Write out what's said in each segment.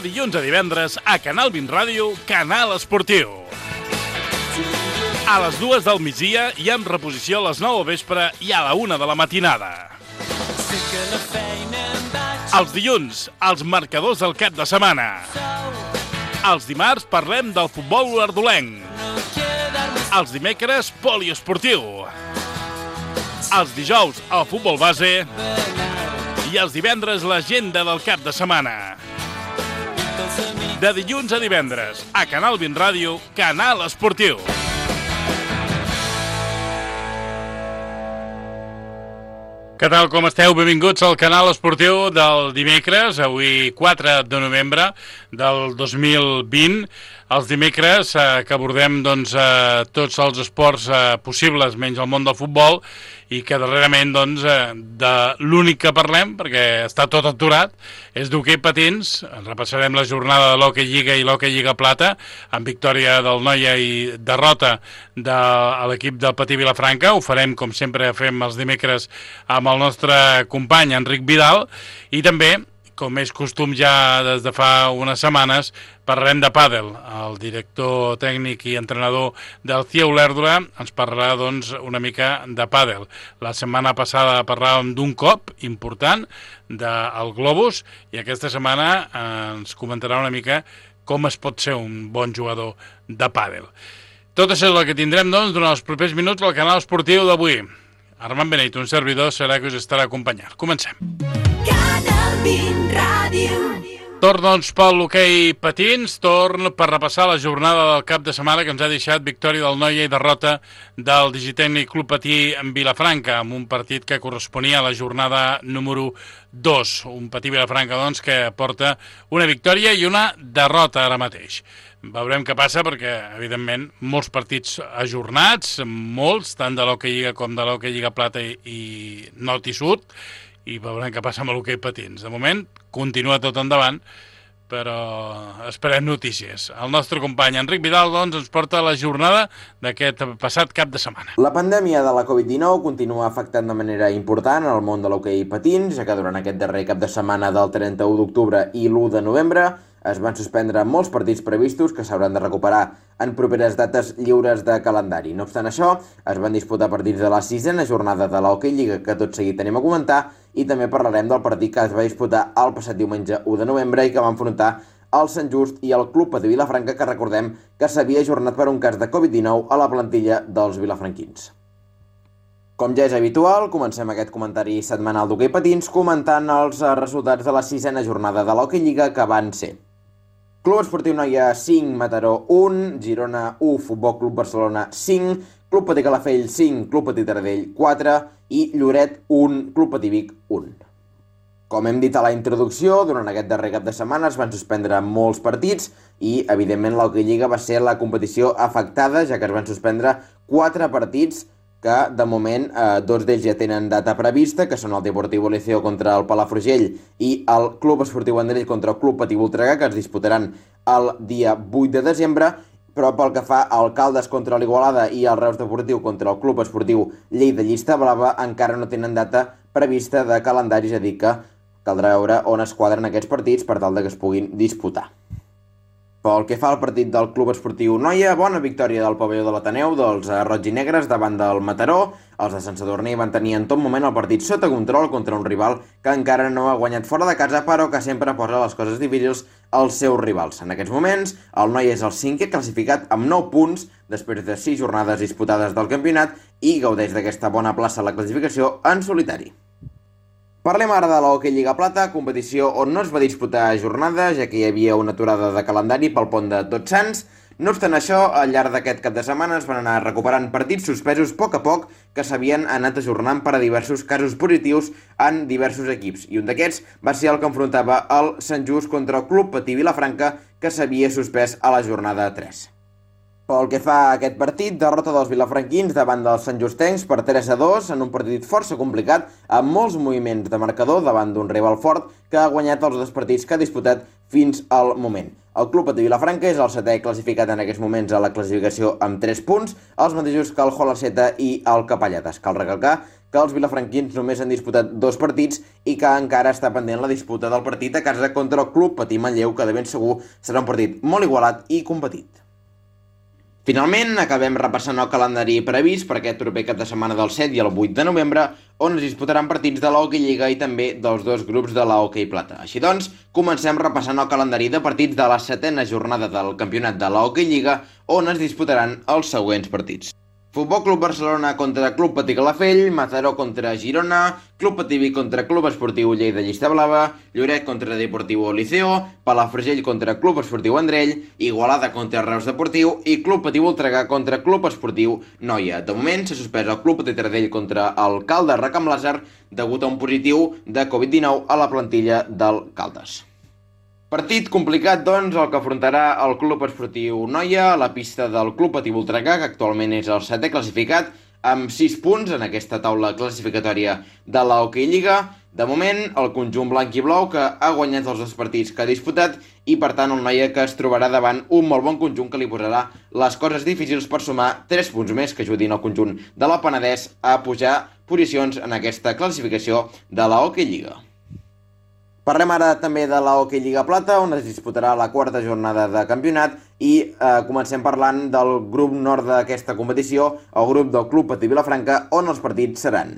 dilluns a divendres a Canal 20 Ràdio, Canal Esportiu. A les 2 del migdia i amb reposició a les 9 del vespre i a la 1 de la matinada. Els dilluns, els marcadors del cap de setmana. Els dimarts parlem del futbol olordolenc. Els dimecres, poliesportiu. Els dijous, el futbol base. I els divendres, l'agenda del cap de setmana. De dilluns a divendres, a Canal 20 Ràdio, Canal Esportiu. Què tal, com esteu? Benvinguts al Canal Esportiu del dimecres, avui 4 de novembre del 2020. Els dimecres que abordem tots els esports possibles, menys el món del futbol, i que darrerament de l'únic que parlem, perquè està tot aturat, és d'hoquei patins. Repassarem la jornada de l'Hockey Lliga i l'Hockey Lliga Plata, amb victòria del Noia i derrota de l'equip del Patí Vilafranca. Ho farem, com sempre fem els dimecres, amb el nostre company Enric Vidal, i també, com és costum ja des de fa unes setmanes, parlarem de pàdel. El director tècnic i entrenador del CIE Olèrdola ens parlarà una mica de pàdel. La setmana passada parlàvem d'un cop important del Globus i aquesta setmana ens comentarà una mica com es pot ser un bon jugador de pàdel. Tot això és el que tindrem durant els propers minuts al canal esportiu d'avui. Armand Beneit, un servidor, serà que us estarà acompanyant. Comencem. Canal 20 Ràdio. Torn, pel l'hoquei patins, torn per repassar la jornada del cap de setmana que ens ha deixat victòria del Noia i derrota del Digitècnic Club Patí en Vilafranca, amb un partit que corresponia a la jornada número 2. Un Patí Vilafranca, que porta una victòria i una derrota ara mateix. Veurem què passa perquè, evidentment, molts partits ajornats, molts, tant de l'Hockey Lliga com de l'Hockey Lliga Plata i Nord i Sud, i veurem què passa amb l'hoquei patins. De moment, continua tot endavant, però esperem notícies. El nostre company Enric Vidal, ens porta la jornada d'aquest passat cap de setmana. La pandèmia de la Covid-19 continua afectant de manera important el món de l'hoquei patins, ja que durant aquest darrer cap de setmana del 31 d'octubre i l'1 de novembre es van suspendre molts partits previstos que s'hauran de recuperar en properes dates lliures de calendari. No obstant això, es van disputar partits de la 6a jornada de l'Hockey Lliga, que tot seguit tenim a comentar, i també parlarem del partit que es va disputar el passat diumenge 1 de novembre i que va enfrontar el Sant Just i el Club Patí Vilafranca, que recordem que s'havia ajornat per un cas de Covid-19 a la plantilla dels vilafranquins. Com ja és habitual, comencem aquest comentari setmanal d'hoquei patins comentant els resultats de la 6a jornada de l'Hockey Lliga, que van ser: Club Esportiu Noia 5, Mataró 1, Girona 1, Futbol Club Barcelona 5, Club Patí Calafell 5, Club Patí Taradell 4 i Lloret 1, Club Patí Vic 1. Com hem dit a la introducció, durant aquest darrer cap de setmana es van suspendre molts partits i, evidentment, l'Hockey Lliga va ser la competició afectada, ja que es van suspendre 4 partits que, de moment, 2 d'ells ja tenen data prevista, que són el Deportivo Liceo contra el Palafrugell i el Club Esportiu Vendrell contra el Club Patí Voltregà, que es disputaran el dia 8 de desembre, però pel que fa al Caldes contra l'Igualada i el Reus Deportiu contra el Club Esportiu Lleida Llista Blava encara no tenen data prevista de calendari, és a dir que caldrà veure on es quadren aquests partits per tal de que es puguin disputar. Pel que fa al partit del Club Esportiu Noia, bona victòria del pavelló de l'Ateneu dels roig i negres davant del Mataró. Els de Sant Sadurní van tenir en tot moment el partit sota control contra un rival que encara no ha guanyat fora de casa, però que sempre posa les coses difícils als seus rivals. En aquests moments, el Noia és el 5è classificat amb 9 punts després de 6 jornades disputades del campionat i gaudeix d'aquesta bona plaça a la classificació en solitari. Parlem ara de l'Hockey Lliga Plata, competició on no es va disputar jornada, ja que hi havia una aturada de calendari pel pont de Tots Sants. No obstant això, al llarg d'aquest cap de setmana es van anar recuperant partits suspesos a poc que s'havien anat ajornant per a diversos casos positius en diversos equips. I un d'aquests va ser el que enfrontava el Sant Just contra el Club Patí Vilafranca, que s'havia suspès a la jornada 3. Pel que fa a aquest partit, derrota dels vilafranquins davant dels santjustencs per 3-2 en un partit força complicat, amb molts moviments de marcador davant d'un rival fort que ha guanyat els 2 partits que ha disputat fins al moment. El Club Patí Vilafranca és el 7è classificat en aquests moments a la classificació amb 3 punts, els mateixos que el Jola Seta i el Capellades. Cal recalcar que els vilafranquins només han disputat 2 partits i que encara està pendent la disputa del partit a casa contra el Club Patí Manlleu, que de ben segur serà un partit molt igualat i competit. Finalment, acabem repassant el calendari previst per aquest proper cap de setmana del 7 i el 8 de novembre, on es disputaran partits de l'Hockey Lliga i també dels 2 grups de l'Hockey Plata. Així doncs, comencem repassant el calendari de partits de la 7a jornada del campionat de l'Hockey Lliga, on es disputaran els següents partits. Futbol Club Barcelona contra Club Patí Calafell, Mataró contra Girona, Club Patí Vic contra Club Esportiu Lleida Llista Blava, Lloret contra Deportivo Liceo, Palafrugell contra Club Esportiu Vendrell, Igualada contra Reus Deportiu i Club Patí Voltregà contra Club Esportiu Noia. De moment s'ha suspès el Club Patí Taradell contra el Caldes Racam Làser degut a un positiu de Covid-19 a la plantilla del Caldes. Partit complicat, doncs, el que afrontarà el Club Esportiu Noia a la pista del Club Patí Voltregà, que actualment és el 7è classificat, amb 6 punts en aquesta taula classificatòria de la Hockey Lliga. De moment, el conjunt blanc i blau, que ha guanyat els 2 partits que ha disputat, i per tant el Noia que es trobarà davant un molt bon conjunt que li posarà les coses difícils per sumar 3 punts més que ajudin el conjunt de la Penedès a pujar posicions en aquesta classificació de la Hockey Lliga. Parlem ara també de la Hockey Lliga Plata, on es disputarà la 4a jornada de campionat i comencem parlant del grup nord d'aquesta competició, el grup del Club Patí Vilafranca, on els partits seran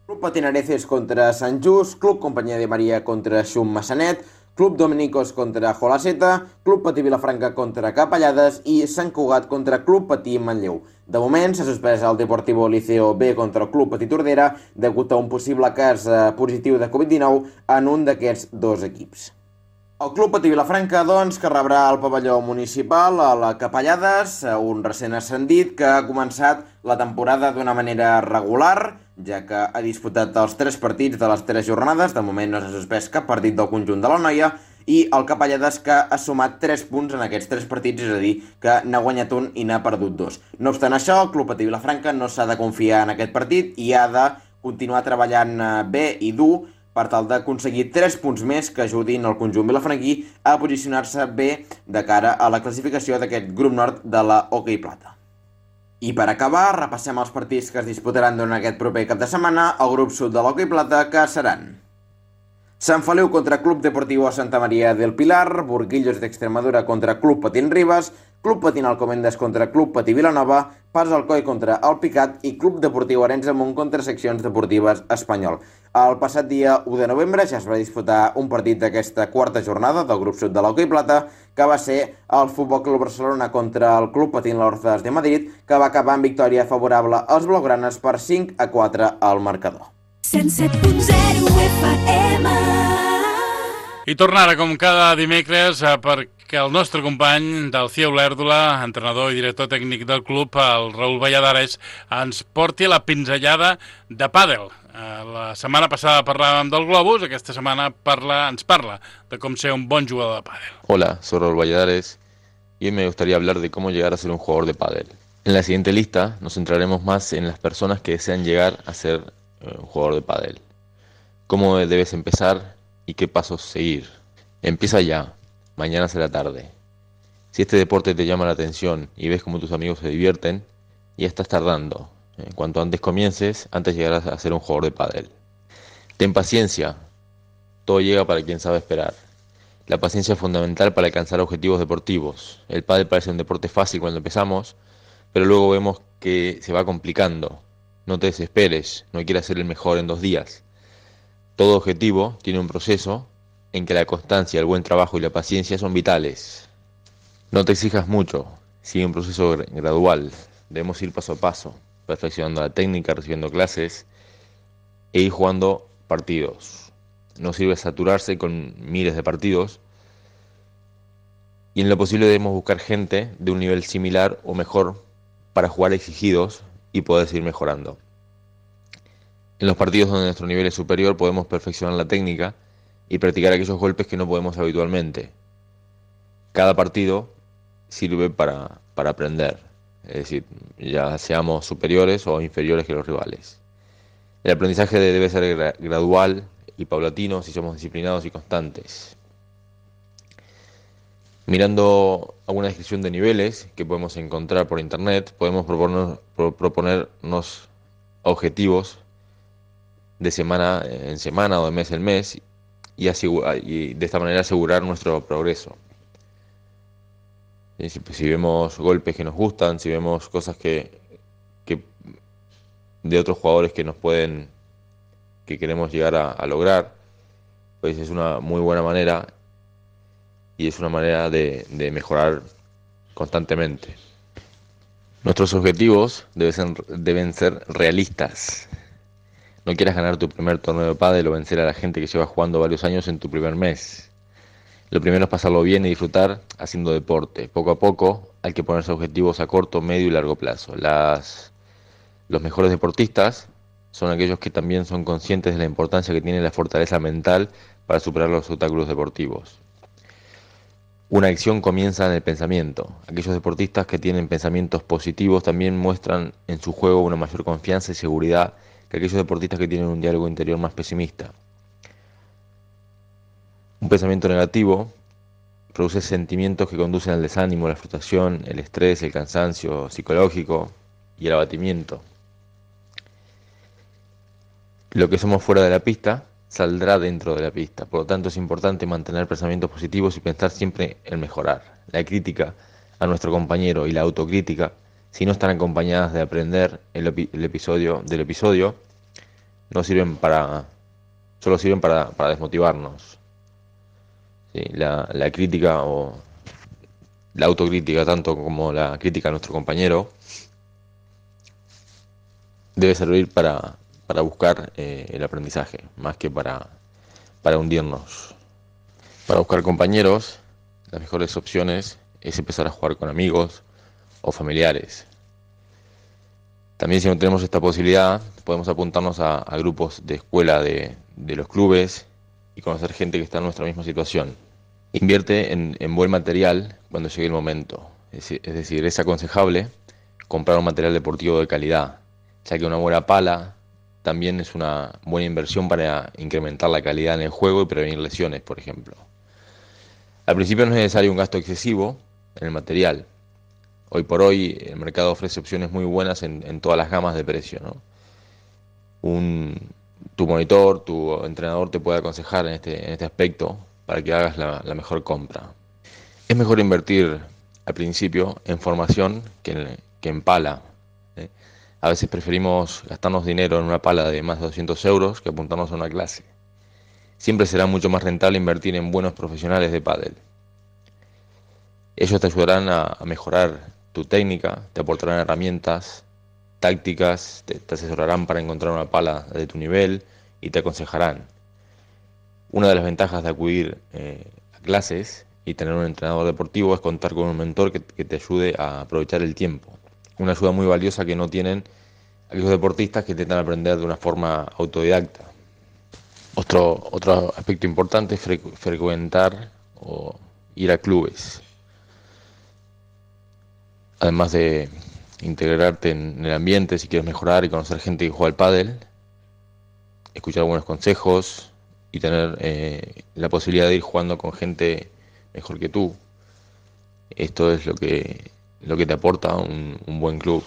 Club Patinareces contra Sant Just, Club Companyia de Maria contra Xum Massanet, Club Dominicos contra Jolaceta, Club Patí Vilafranca contra Capellades i Sant Cugat contra Club Patí Manlleu. De moment s'ha suspès el Deportivo Liceo B contra el Club Patí Tordera degut a un possible cas positiu de Covid-19 en un d'aquests 2 equips. El Club Patí Vilafranca, doncs, que rebrà el pavelló municipal a la Capellades, un recent ascendit que ha començat la temporada d'una manera regular, ja que ha disputat els 3 partits de les 3 jornades, de moment no s'ha suspès cap partit del conjunt de la Noia, i el Capellades que ha sumat 3 punts en aquests 3 partits, és a dir, que n'ha guanyat un i n'ha perdut 2. No obstant això, el Club Patí Vilafranca no s'ha de confiar en aquest partit i ha de continuar treballant bé i dur per tal d'aconseguir 3 punts més que ajudin el conjunt vilafranquí a posicionar-se bé de cara a la classificació d'aquest grup nord de la Hockey Plata. I per acabar, repassem els partits que es disputaran durant aquest proper cap de setmana al grup sud de l'Hockey Plata, que seran Sant Feliu contra Club Deportivo Santa María del Pilar, Burguillos de Extremadura contra Club Patín Ribas, Club Patín Alcomendes contra Club Patí Vilanova, Pas Alcoi contra El Picat i Club Deportiu Arenys de Munt contra Seccions Deportives Espanyol. El passat dia 1 de novembre ja es va disputar un partit d'aquesta 4a jornada del grup sud de l'Hockey Plata, que va ser el Futbol Club Barcelona contra el Club Patín Lorzas de Madrid, que va acabar amb victòria favorable als blaugranes per 5-4 al marcador. 107.0 FM. I tornar ara, com cada dimecres, perquè el nostre company del CIE Olèrdola, entrenador i director tècnic del club, el Raül Valladares, ens porti la pinzellada de pàdel. La setmana passada parlàvem del globus, aquesta setmana ens parla de com ser un bon jugador de pàdel. Hola, soy Raúl Valladares y hoy me gustaría hablar de cómo llegar a ser un jugador de pádel. En la siguiente lista nos centraremos más en las personas que desean llegar a ser un jugador de pádel. ¿Cómo debes empezar y qué pasos seguir? Empieza ya, mañana será tarde. Si este deporte te llama la atención y ves cómo tus amigos se divierten, ya estás tardando. Cuanto antes comiences, antes llegarás a ser un jugador de pádel. Ten paciencia, todo llega para quien sabe esperar. La paciencia es fundamental para alcanzar objetivos deportivos. El pádel parece un deporte fácil cuando empezamos, pero luego vemos que se va complicando. No te desesperes, no quieras ser el mejor en 2 días. Todo objetivo tiene un proceso en que la constancia, el buen trabajo y la paciencia son vitales. No te exijas mucho, sigue un proceso gradual. Debemos ir paso a paso, perfeccionando la técnica, recibiendo clases e ir jugando partidos. No sirve saturarse con miles de partidos y en lo posible debemos buscar gente de un nivel similar o mejor para jugar exigidos y poder seguir mejorando. En los partidos donde nuestro nivel es superior podemos perfeccionar la técnica y practicar aquellos golpes que no podemos habitualmente. Cada partido sirve para aprender, es decir, ya seamos superiores o inferiores que los rivales. El aprendizaje debe ser gradual y paulatino si somos disciplinados y constantes. Mirando alguna descripción de niveles que podemos encontrar por internet, podemos proponernos objetivos de semana en semana o de mes en mes y de esta manera asegurar nuestro progreso. Si vemos golpes que nos gustan, si vemos cosas que de otros jugadores que queremos llegar a lograr, pues es una muy buena manera y es una manera de mejorar constantemente. Nuestros objetivos deben ser realistas. No quieras ganar tu primer torneo de pádel o vencer a la gente que lleva jugando varios años en tu primer mes. Lo primero es pasarlo bien y disfrutar haciendo deporte. Poco a poco hay que ponerse objetivos a corto, medio y largo plazo. Los mejores deportistas son aquellos que también son conscientes de la importancia que tiene la fortaleza mental para superar los obstáculos deportivos. Una acción comienza en el pensamiento. Aquellos deportistas que tienen pensamientos positivos también muestran en su juego una mayor confianza y seguridad que aquellos deportistas que tienen un diálogo interior más pesimista. Un pensamiento negativo produce sentimientos que conducen al desánimo, la frustración, el estrés, el cansancio psicológico y el abatimiento. Lo que somos fuera de la pista saldrá dentro de la pista. Por lo tanto, es importante mantener pensamientos positivos y pensar siempre en mejorar. La crítica a nuestro compañero y la autocrítica, si no están acompañadas de aprender el episodio, no sirven solo sirven para desmotivarnos. ¿Sí? La crítica o la autocrítica, tanto como la crítica a nuestro compañero, debe servir para buscar el aprendizaje, más que para hundirnos. Para buscar compañeros, las mejores opciones es empezar a jugar con amigos o familiares. También, si no tenemos esta posibilidad, podemos apuntarnos a grupos de escuela de los clubes y conocer gente que está en nuestra misma situación. Invierte en buen material cuando llegue el momento. Es decir, es aconsejable comprar un material deportivo de calidad, ya que una buena pala también es una buena inversión para incrementar la calidad en el juego y prevenir lesiones, por ejemplo. Al principio no es necesario un gasto excesivo en el material. Hoy por hoy el mercado ofrece opciones muy buenas en todas las gamas de precio, ¿no? Tu monitor, tu entrenador te puede aconsejar en este aspecto para que hagas la mejor compra. Es mejor invertir al principio en formación que en pala. A veces preferimos gastarnos dinero en una pala de más de 200 euros que apuntarnos a una clase. Siempre será mucho más rentable invertir en buenos profesionales de pádel. Ellos te ayudarán a mejorar tu técnica, te aportarán herramientas, tácticas, te asesorarán para encontrar una pala de tu nivel y te aconsejarán. Una de las ventajas de acudir a clases y tener un entrenador deportivo es contar con un mentor que te ayude a aprovechar el tiempo. Una ayuda muy valiosa que no tienen aquellos deportistas que intentan aprender de una forma autodidacta. Otro aspecto importante es frecuentar o ir a clubes. Además de integrarte en el ambiente, si quieres mejorar y conocer gente que juega al pádel, escuchar buenos consejos y tener la posibilidad de ir jugando con gente mejor que tú. Esto es lo que te aporta un buen club.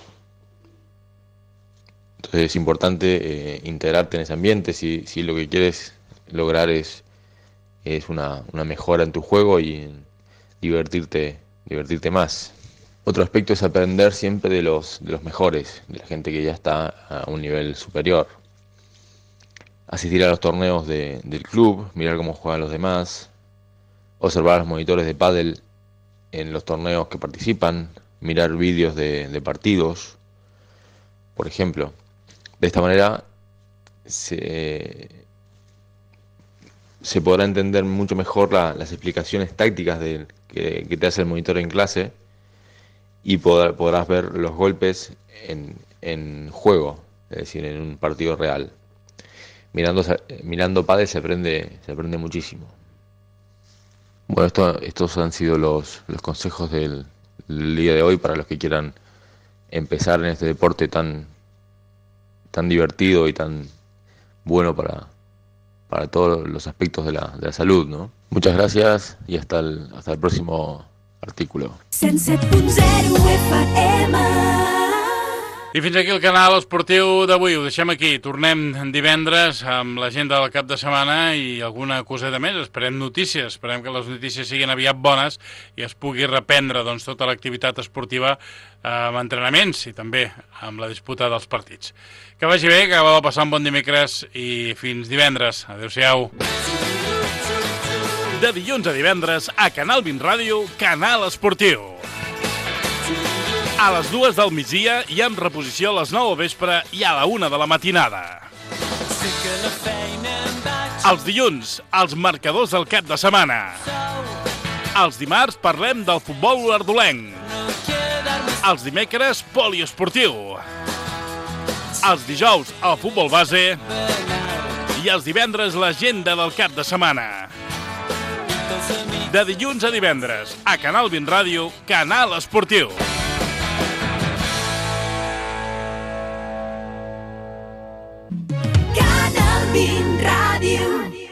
Entonces es importante integrarte en ese ambiente si lo que quieres lograr es una mejora en tu juego y en divertirte más. Otro aspecto es aprender siempre de los mejores, de la gente que ya está a un nivel superior. Asistir a los torneos del club, mirar cómo juegan los demás, observar a los monitores de pádel en los torneos que participan, mirar vídeos de partidos, por ejemplo. De esta manera se podrá entender mucho mejor las explicaciones tácticas que te hace el monitor en clase y podrás ver los golpes en juego, es decir, en un partido real. Mirando pádel se aprende muchísimo. Bueno, estos han sido los consejos del día de hoy para los que quieran empezar en este deporte tan divertido y tan bueno para todos los aspectos de la salud, ¿no? Muchas gracias y hasta el próximo artículo. 107.0 FM I fins aquí el canal esportiu d'avui. Ho deixem aquí. Tornem divendres amb l'agenda del cap de setmana i alguna coseta més. Esperem notícies. Esperem que les notícies siguin aviat bones i es pugui reprendre doncs, tota l'activitat esportiva amb entrenaments i també amb la disputa dels partits. Que vagi bé, que acabeu de passar un bon dimecres i fins divendres. Adéu-siau. De dilluns a divendres a Canal 20 Ràdio, Canal Esportiu. A les 2 del migdia i amb reposició a les 9 del vespre i a la 1 de la matinada. Els dilluns, els marcadors del cap de setmana. Els dimarts parlem del futbol ardolenc. Els dimecres, poliesportiu. Els dijous, el futbol base. I els divendres, l'agenda del cap de setmana. De dilluns a divendres, a Canal 20 Ràdio, Canal Esportiu. Canal 20 Ràdio.